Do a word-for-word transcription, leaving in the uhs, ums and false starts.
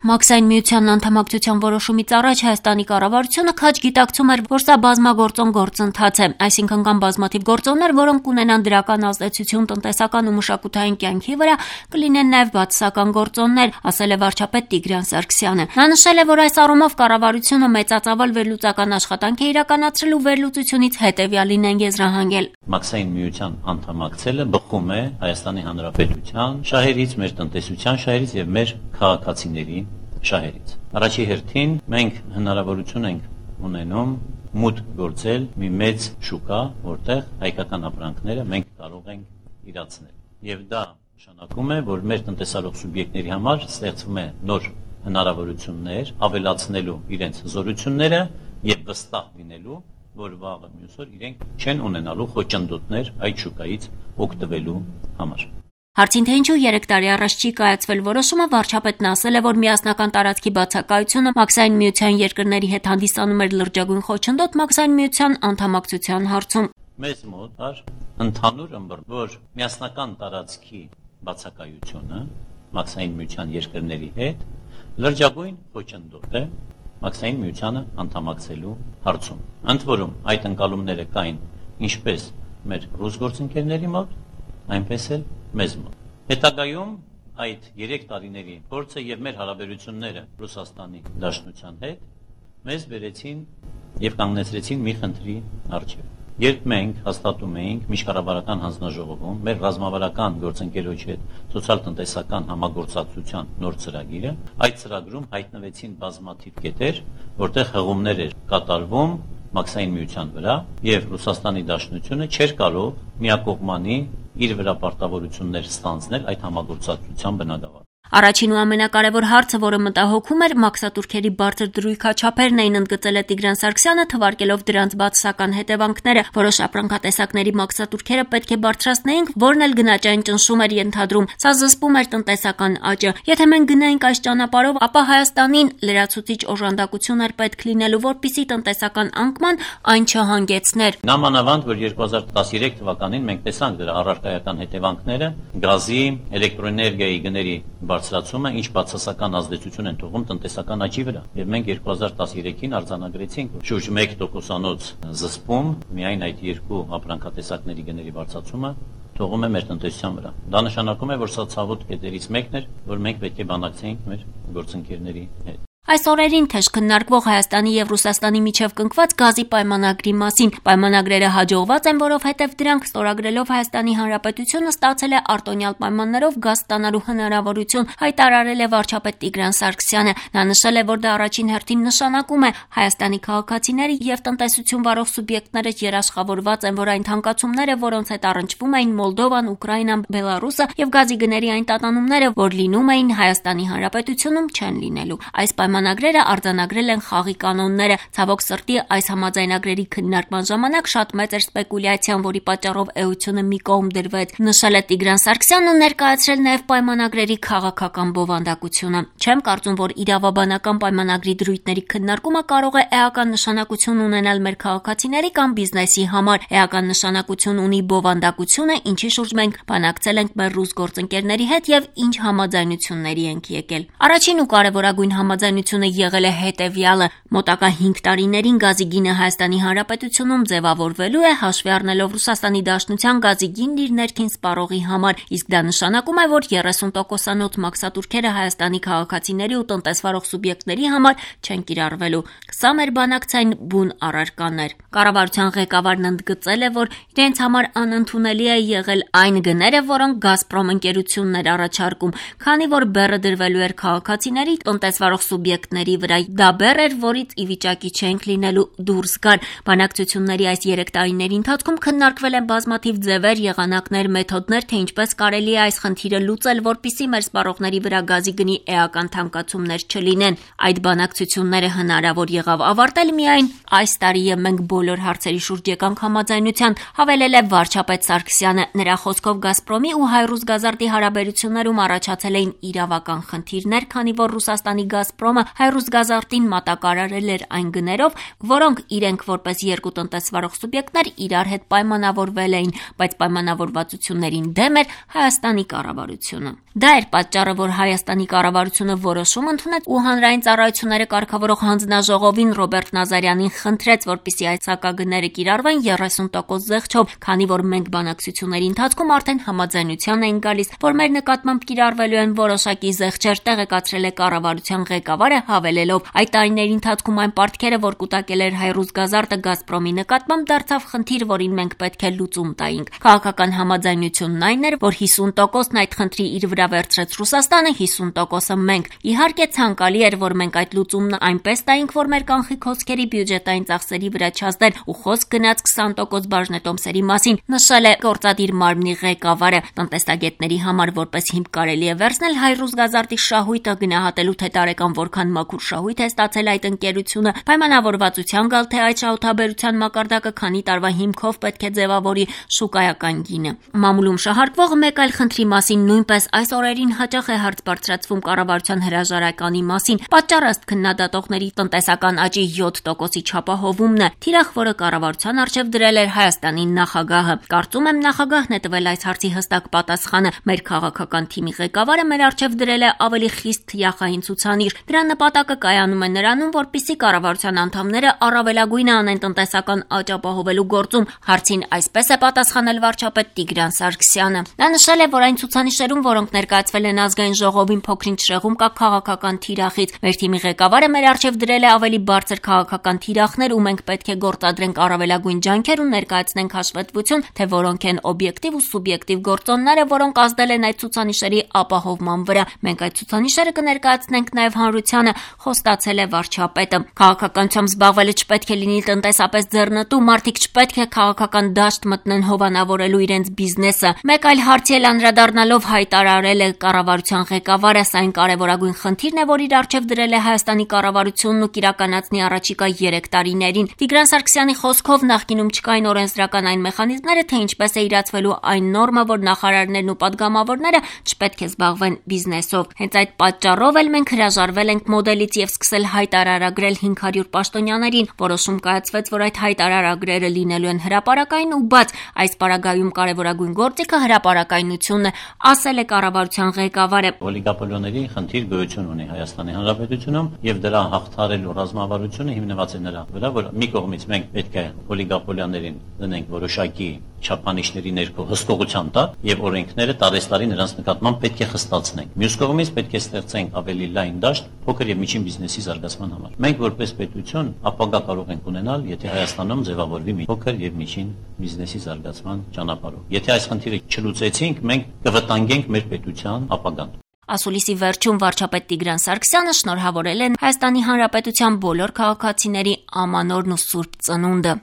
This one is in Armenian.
Մաքսային միությանն անդամակցության որոշումից առաջ Հայաստանի կառավարությունը քաջ գիտակցում էր, որ սա բազմագործոն գործընթաց է, այսինքն կան բազմաթիվ գործոններ, որոնք կունենան դրական ազդեցություն տնտեսական ու մշակութային կյանքի վրա, կլինեն նաև բացասական գործոններ, ասել է վարչապետ Տիգրան Սարգսյանը։ Նա նշել է, որ այս առումով կառավարությունը մեծածավալ վերլուծական աշխատանք է իրականացրել ու վերլուծությունից հետևյալին են եզրահանգել։ Մաքսային միության անդամակցելը բխում է Հայաստանի Հանրապետության շահերից, մեր տնտեսության շահերից եւ մեր քաղաքացիների շահերից։ Առաջի հերթին մենք հնարավորություն ենք ունենում մուտք գործել մի մեծ շուկա, որտեղ հայկական ապրանքները մենք կարող ենք իրացնել։ Եվ դա նշանակում է, որ մեր տնտեսարող սուբյեկտների համար ստեղծվում է նոր հնարավորություններ ավելացնելու իրենց զորությունները եւ վստահ լինելու, որ վաղը մյուս օր իրենք չեն ունենալու խոչընդոտներ այդ շուկայից օգտվելու համար։ Հարցին թե ինչու երեք տարի առաջ չի կայացվել որոշումը, վարչապետն ասել է, որ միասնական տարածքի բացակայությունը Մաքսային միության երկրների հետ հանդիսանում էր լրջագույն խոչընդոտ Մաքսային միության անդամակցության հարցում։ Մեզ մոտ կար ընդհանուր ըմբռնում, որ միասնական տարածքի բացակայությունը Մաքսային միության երկրների հետ լրջագույն խոչընդոտ է Մաքսային միությանը անդամակցելու հարցում։ Ընդ որում այդ ընկալումները կային ինչպես մեր ռուս գործընկերների մոտ, այնպես էլ մեզ մոտ։ Հետագայում այդ երեք տարիների փորձը եւ մեր հարաբերությունները Ռուսաստանի Դաշնության հետ մեզ բերեցին եւ կանգնեցրեցին մի խնդրի առջեւ։ Երբ մենք հաստատում էինք միջկառավարական հանձնաժողովում մեր ռազմավարական գործընկերոջ հետ սոցիալ-տնտեսական համագործակցության նոր ծրագիրը, այդ ծրագրում հայտնվեցին բազմաթիվ կետեր, որտեղ հղումներ էր կատարվում Մաքսային միության վրա եւ Ռուսաստանի Դաշնությունը չէր կարող միակողմանի իր վրա պարտավորություններ ստանձնել այդ համագործակցության բնագավառ։ Առաջին ու ամենակարևոր հարցը, որը մտահոգում էր մաքսատուրքերի բարձր դրույքաչափերն էին, ընդգծել է Տիգրան Սարգսյանը, թվարկելով դրանց բացասական հետևանքները։ Որոշ ապրանքատեսակների մաքսատուրքերը պետք է բարձրացնեինք, որն էլ գնաճային ճնշում էր ենթադրում։ Սա զսպում էր տնտեսական աճը։ Եթե մենք գնայինք այս ճանապարհով, ապա Հայաստանին լրացուցիչ օժանդակություն էր պետք լինելու, որպիսի տնտեսական անկման այն չհանգեցներ։ Նամանավանդ, որ երկու հազար տասներեք թվականին մենք տեսանք դրա առարկայական հետևանքները, գազի, էլեկտրոէներգիայի գների բարձրացումը ինչ բացասական ազդեցություն են թողում տնտեսական աճի վրա։ Եվ մենք երկու հազար տասներեքին արձանագրեցինք շուրջ մեկ տոկոսանոց զսպում միայն այդ երկու ապրանքատեսակների գների բարձրացումը թողում է մեր տնտեսության վրա։ Դա նշանակում է, որ սա ցավոտ կետերից մեկն էր, որ մենք պետք է բանակցեինք մեր գործընկերների հետ։ Այս օրերին թեժ քննարկվող Հայաստանի եւ Ռուսաստանի միջև կնքված գազի պայմանագրի մասին պայմանագրերը հաջողված են, որովհետեւ դրանք ստորագրելով Հայաստանի Հանրապետությունը ստացել է արտոնյալ պայմաններով գազ ստանալու հնարավորություն, հայտարարել է վարչապետ Տիգրան Սարգսյանը։ Նա նշել է, որ դա առաջին հերթին նշանակում է Հայաստանի քաղաքացիները եւ տնտեսություն վարող սուբյեկտները երաշխավորված են, որ այն թանկացումները, որոնց հետ առնչվում էին Մոլդովան, Ուկրաինան, Բելարուսը եւ գազի գների այն տատանումները, որ լինում էին Հայաստանի Հանրապետությունում, չեն լինելու։ Այս Պայմանագրերը արձանագրել են խաղի կանոնները։ Ցավոք սրտի այս համաձայնագրերի քննարկման ժամանակ շատ մեծ էր սպեկուլյացիան, որի պատճառով էությունը մի կողմ դրվեց, նշել է Տիգրան Սարգսյանն ու ներկայացրել նաև պայմանագրերի քաղաքական բովանդակությունը։ Չեմ կարծում, որ իրավաբանական պայմանագրի դրույթների քննարկումը կարող է էական նշանակություն ունենալ մեր քաղաքացիների կամ բիզնեսի համար։ Էական նշանակություն ունի բովանդակությունը, ինչի շուրջ մենք բանակցել ենք մեր ռուս գործընկերների հետ եւ ինչ համաձայնությունների ենք եկել։ Առաջին ու կարևորագույն համաձայնությունը եղել է հետևյալը. մոտակա հինգ տարիներին գազի գինը Հայաստանի Հանրապետությունում ձևավորվելու է հաշվի առնելով Ռուսաստանի Դաշնության գազի գինն իր ներքին սպառողի համար, իսկ դա նշանակում է, որ երեսուն տոկոսանոց մաքսատուրքերը Հայաստանի քաղաքացիների ու տնտեսվարող սուբյեկտների համար չեն կիրառվելու։ Սա մեր բանակցային բուն առարկանն էր։ Կառավարության ղեկավարն ընդգծել է, որ իրենց համար անընդունելի է եղել այն գները, որոնք Գազպրոմ ընկերությունն էր առաջարկում, քանի որ բեռը դրվելու էր քաղաքացիների տնտեսվարող սուբյեկտների վրա։ Դա բեռ էր, որից ի վիճակի չենք լինելու դուրս գալ։ Բանակցությունների այս երեք տարիների ընթացքում քննարկվել են բազմաթիվ ձևեր, եղանակներ, մեթոդներ, թե ինչպես կարելի է այս խնդիրը լուծել, որպեսզի մեր սպառողների վրա գազի գնի էական թանկացումներ չլինեն։ Այդ բանակցությունները հնարավոր եղավ ավարտել միայն այս տարի եւ մենք բոլոր հարցերի շուրջ եկանք համաձայնության, հավելել է վարչապետ Սարգսյանը։ Նրա խոսքով Գազպրոմի ու Հայրուսգազարդի հարաբերություններում առաջացել էին իրավական խնդիրներ, քանի որ Ռուսաստանի Գազպրոմը Հայրուզ Գազարտին մատակարարել էր այն գներով, որոնք իրենք որպես երկու տնտեսվարող սուբյեկտներ իրար հետ պայմանավորվել էին, բայց պայմանավորվածություններին դեմ էր Հայաստանի կառավարությունը։ Դա էր պատճառը, որ Հայաստանի կառավարությունը որոշում ընդունեց ու հանրային ծառայությունները կարգավորող հանձնաժողովին Ռոբերտ Նազարյանին խնդրեց, որպեսզի այս հակագները կիրառվեն երեսուն տոկոս զեղչով, քանի որ մենք բանակցությունների ընթացքում արդեն համաձայնության էին գալիս, որ մեր նկատմամբ կիրառվելու են որոշակի զեղչեր, տեղեկացրել է կառավարության ղեկավարը, հավելելով. այդ տարիների ընթացքում այն պարտքերը, որ կուտակել էր Հայրուզ Գազարտը Գազպրոմի նկատմամբ, դարձավ խնդիր, որին մենք պետք է լուծում տայինք։ Քաղաքական համաձայնությունն այն էր, որ հիսուն տոկոսն այդ խնդրի իր վրա վերցրեց Ռուսաստանը, հիսուն տոկոսը մենք։ Իհարկե ցանկալի էր, որ մենք այդ լուծումն այնպես տայինք, որ մեր կանխիկ հոսքերի բյուջետային ծախսերի վրա չազդեր, ու խոսք գնաց քսան տոկոս բաժնետոմսերի մասին, նշել է գործադիր մարմնի ղեկավարը։ Տնտեսագետների համար որպես հիմք կարելի է վերցնել Հայրուզ Գազարտի շահույթը, գնահատելու թե տարեկան որքան մաքուր շահույթ է ստացել այդ ընկերությունը, պայմանավորվածության գալ թե այդ շահութաբերության մակարդակը քանի տարվա հիմքով պետք է ձևավորի շուկայական գինը։ Մամուլում շահարկվող մեկ այլ խնդրի մասին նույնպես այս օրերին հաճախ է հարց բարձրացվում կառավարության հրաժարականի մասին։ Պատճառը ըստ քննադատողների տնտեսական աճի յոթ տոկոսի չափահովումն է, թիրախ, որը կառավարության առջև դրել էր Հայաստանի նախագահը։ Կարծում եմ նախագահն է տվել այս հարցի հստակ պատասխանը։ Մեր քաղաքական թիմի ղեկավարը մեր առջև դրել է ավելի խիստ թիախային ցուցանիշ։ Դրա նպատակը կայանում է նրանում, որպեսզի կառավարության անդամները առավելագույնը անեն տնտեսական աճ ապահովելու գործում։ Հարցին այսպես է պատասխանել վարչապետ Տիգրան Սարգսյանը։ Նա նշել է, որ այն ցուցանիշերում, որոնք ներկայացվել են ազգային ժողովին, փոքրինչ շեղում կա քաղաքական թիրախից։ Մեր թիմի ղեկավարը մեր առջև դրել է ավելի բարձր քաղաքական թիրախներ, ու մենք պետք է գործադրենք առավելագույն ջանքեր ու ներկայացնենք հաշվետվություն, թե որոնք են օբյեկտիվ ու սուբյեկտիվ գործոնները, որոնք ազդել են այդ ցուցանիշերի ապահովման վրա։ Մենք այդ ցուցանիշերը կներկայացնենք նաև հանրությանը, խոստացել է վարչապետը։ Քաղաքականությամբ զբաղվելը չպետք է լինի տնտեսապես ձեռնտու, մարդիկ չպետք է քաղաքական դաշտ մտնեն հովանավորելու իրենց բիզնեսը։ Մեկ այլ հարցի էլ անդրադառնալով հայտարարել է կառավարության ղեկավարը, սա այն կարևորագույն խնդիրն է, որ իր առջև դրել է Հայաստանի կառավարությունն ու կիրականացնի առաջիկա երեք տարիներին։ Տիգրան Սարգսյանի խոսքով նախկինում չկային օրենսդրական այն մեխանիզմները, թե ինչպես է իրացվելու այն նորմը, որ նախարարներն ու падգամավորները չպետք է զբաղվեն բիզնեսով։ Հենց այդ պատճառով էլ մենք հրաժարվել ենք մոդելից եւ սկսել հայտարարագրել հինգ հարյուր պաշտոնյաներին։ Որոշում կայացվեց, որ այդ հայտարարագրերը լինելու են հրապարակային ու բաց։ Այս պարագայում կարևորագույն գործիքը հրապարակայնությունն է, ասել է կառավարության ղեկավարը։ Օլիգոպոլիաների խնդիր գոյություն ունի Հայաստանի Հանրապետությունում եւ դրա հաղթարելու ռազմավարությունը հիմնված է նրա վրա, որ մի կողմից մենք պետք է օլիգոպոլիաներին դնենք որոշակի չափանիշների ներքո հսկողության տակ եւ օրենքները տարեստարի նրանց նկատմամբ պետք է խստացնենք։ Մյուս կողմից պետք է ստեղծենք ավելի լայն դաշտ փոքր եւ միջին բիզնեսի զարգացման համար։ Մենք որպես պետություն ապագա կարող ենք ունենալ, եթե Հայաստանում ձևավորվի մի փոքր եւ միջին բիզնեսի զարգացման ճանապարհով։ Եթե այս խնդիրը չլուծեցինք, մենք կվտանգենք մեր պետության ապագան։ Ասուլիսի վերջում վարչապետ Տիգրան Սարգսյանը շնորհավորել է Հայաստանի Հանրապետության բոլոր քաղաքացիների ամանորն ու սուրբ ծնունդը։